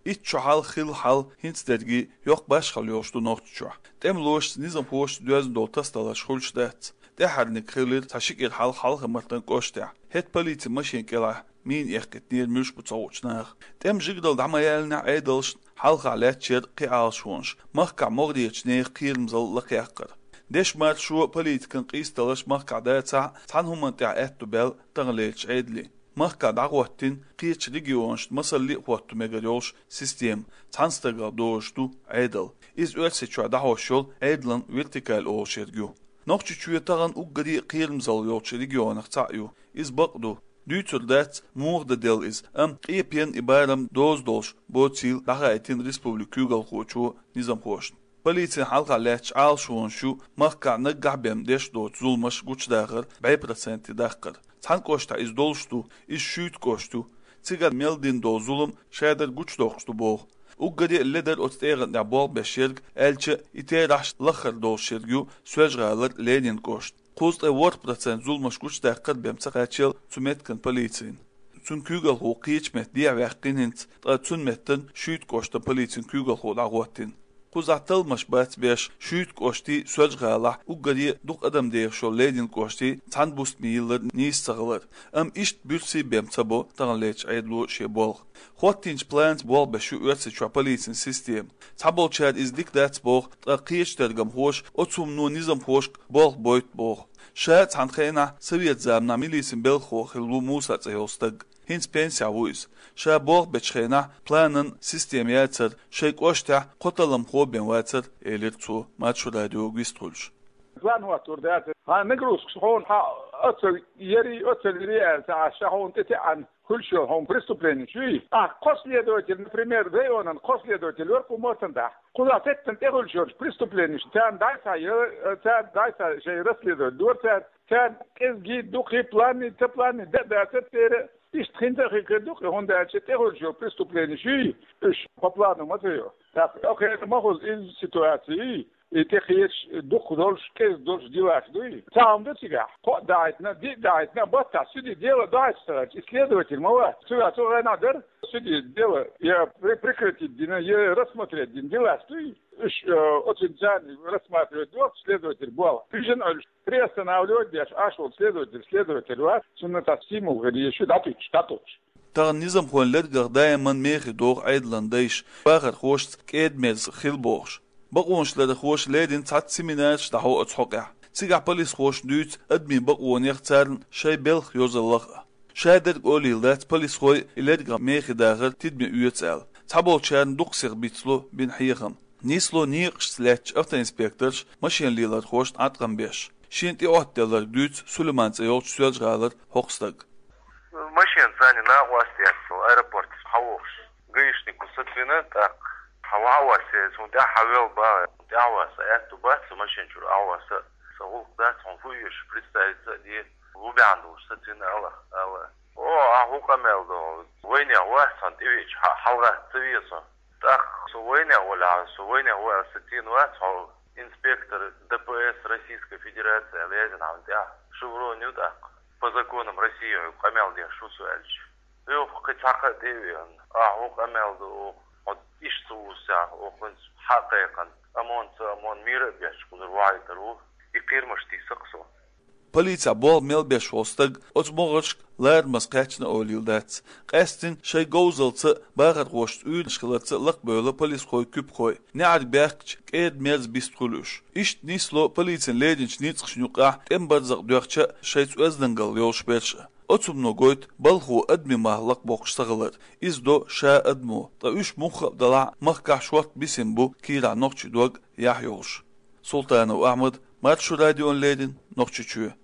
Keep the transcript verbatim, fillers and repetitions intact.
Итт шо хьалха хилла хьал хӀинца дерриге йоккха башхалла йолуш ду Нохчийчохь. ТӀемалошца, низамхошца доьзна долу тасадаларш хуьлуш дац. ТӀаьхьарниг хилира цхьа ши кӀира хьалха Хьалха-Мартан кӀоштахь. ХӀетахь полицин машен кӀелахь мина эккхийтинера муьлш бу ца хуучу наха. ТӀеман жигаралла дӀа ма яллинехь, Ӏедалшна хьалха лаьтташ яра кхин Ӏалашонаш, махкахь могӀарерчу нехан кхерамзалла лакхаяккхар. Дешан маршо, политикан къийсадаларш махкахь дацахь а, цхьана хӀуманна тӀехь аьтто баьлла таханлерчу Ӏедале. Махкахь дӀахӀоттийна кхечу регионашна масалле а хӀотто мегар йолуш система, цхьана стагах дозуш ду Ӏедал. Иза Оьрсийчохь дӀахьош йолу Ӏедалан вертикаль олуш ерг ю. Нохчийчоь тахана уггаре а кхерамзалла йолчу регионех цхьаъ ю. Иза бакъ ду. Дуьйцур дац, муха дан делла иза, амма къепенна и барам доза долуш боцийла дӀахаийтина республикан куьйгалхочо низамхошна. Полицина хьалха лаьтташ Ӏалашонаш ю махкахь наггахь бен деш доцу зуламаш гучудахар бӀе проценте даккхар. Цхьана кӀоштахь иза долуш ду, иза Шуьйта кӀошт ю. Цигара мел дина долу зулам шадерг гучудоккхуш ду боху. Уггаре а ледара оцу тӀегӀан тӀехь болх беш ерг, аьлча, и терахьаш лаххара долуш ерг ю Соьлжа-ГӀалара Ленин кӀошт. Кхузткъе ворхӀ процент зуламаш гучудаккхар бен ца кхаччал цу меттиган полицина. Цуьнан куьйгалхо кхечу метта дехьаваьккхина хӀинца, ткъа цуьнан меттана Шуьйта кӀоштан полицин куьйгалхо дӀахӀоттийна. Кхузахь талламаш бац беш, Шуьйта кӀоштий, Соьлжа-ГӀалахь уггаре а дукха адам дехаш йолу Ленин кӀоштий цхьана бустаме йиллар нийса ца хилар. Амма иштта буьрса бен ца бо таханлерчу Ӏедало шен болх. ХӀоттийначу планца болх беш ю Оьрсийчохь полицин система. Цхьаболчара иза дика дац боху, ткъа кхечу тергамхоша оцу хӀумано низамхошка болх бойту боху. Ша цхьана хенахь совет заманахь милицин белхахо хилла ву Муса цӀе йолу стаг. ХӀинца пенсехь ву иза. Ша болх бечу хенахь планан система яцара, шайн кӀоштахь кхо талламхо бен вацара, элира цо Маршо радиога вистхуьлуш. План хӀоттор дац. Хьан нагрузкаш хьуна хьан оццал яри, оццал яри аьлла ца Ӏаш, ша хьуна тӀе теӀан хуьлуш йолу хьуна преступлени чуьй. Ахь кхо следователь, например, районан кхо следователь вара кху маттана дахь. Кхузахь теттина тӀехуьлуш йолчу преступленишна царна дӀасхьа, царна дӀасхьа шайн расследовать дора цара, царна кӀезги, дукхи, планни, ца планни, да а дацара церан, иштта хин ца хир дукхи, хӀунда аьлча тӀехуьлуш йолу преступлениш юй, уьш по плану ма ца йо. ТӀаккха окхеран ма хуза иза ситуаций, и тӀекхечаш дукха долуш, кӀезиг долуш делаш дуй. Цхьа хӀума ду цигахь, кхоъ дахьийтина, диъ дахьийтина, баттахь суьди дело дахьийташ ца хилча, и следователь ма вац. Цигахь цу гӀенахь дара суьди дело, я при-, прекратить дина, я рассмотреть дина делаш дуй. Уьш, э, оцу царна рассматривать дохку следователь болх. Уьш а Ӏуьллуш, приостанавливать деш Ӏаш волу следователь, следователь вац, цунна тӀаккха стимул хир езаш ю дӀатуьгуш, дӀатуьгуш. Тахана низамхойн лергах даиман мехе догӀу Ӏедалан дайша, бахархошца кӀеда-мерза хила бохуш. Бакъонашлархоша леррина цхьацца семинараш дӀахьо оцу хьокъехь. Цигахь полисхоша дуьйцу адамийн бакъонех, царна шайн белхан йозаллах а. Шадерг олийла дац полисхой и лергах мехе дахар тидаме оьцу аьлла. Цхьаболчарна дукха сиха бицло бина хьехам. Нисло некъашца лаьттачу автоинспекторша машен лелорхошна Ӏаткъам беш. Шена тӀеӀоттаделларг дуьйцу Сулайман цӀе йолчу Соьлжа-ГӀалара хӀокху стага. Машен царна накъост яц, со аэропортехь хьан вохуш. Гаишнико сацвина, тӀаккха хьан ван вац, хьуна тӀаьхьа хьан вел бан, хьуна тӀаьхьа ван, сан аьтту бац сан машен чуьра ахьа ван, сан, сан гӀуллакх дац, хьуна фу оьшу, представиться а де, ву баьхьна долуш сацвина ала, ала. О, ахьа хӀун къамел до? Вайнех вац хьуна тӀевеача, хьа-, хьалагӀатта ца веза хьо. ТӀаккха со вайнех валахь, со вайнех ваьлла сацийна вац хьо, инспектор Д П С Российской Федерации аьлла яздина хьуна тӀехь. Шеврон ю тӀаккха. По законам России хьоьга къамел деш ву со аьлча. Оха кхин цхьа кхаъ тӀе а веана, ахьа хӀун къамел до оха, хьо иштта ца вусахь, оха хӀинца хьа а кхайкхина, ОМОН, ца ОМОН, мийра а бетташ кхузара вахьийтар ву, и кхерамаш тийса-кх со. Полицехь болх мел беш волу стаг оцу могӀаршка ларамаза кхаьчна олийла дац. Къаьсттина шайн говзалца а, бахархошца уьйраш хиларца а лакхабевлла полисхой, куьпахой. НеӀарга баьхкича, кӀеда-мерза бист хуьлу уьш. Иштта нисло полицин леринчу ницкъашна юкъахь тӀеман барзакъ доьхча а, шайца оьздангалла йолуш берш а. Оцу хӀумано гойту балхо адамийн мах лакхабоккхуш ца хилар. Иза до ша адамо, ткъа уьш мухха а далахь а, махкахь шортта бисина бу кийрахь нохчийн дог яхь йолуш. Султанов Ахьмад, Маршо радиона леррина, Нохчийчоь.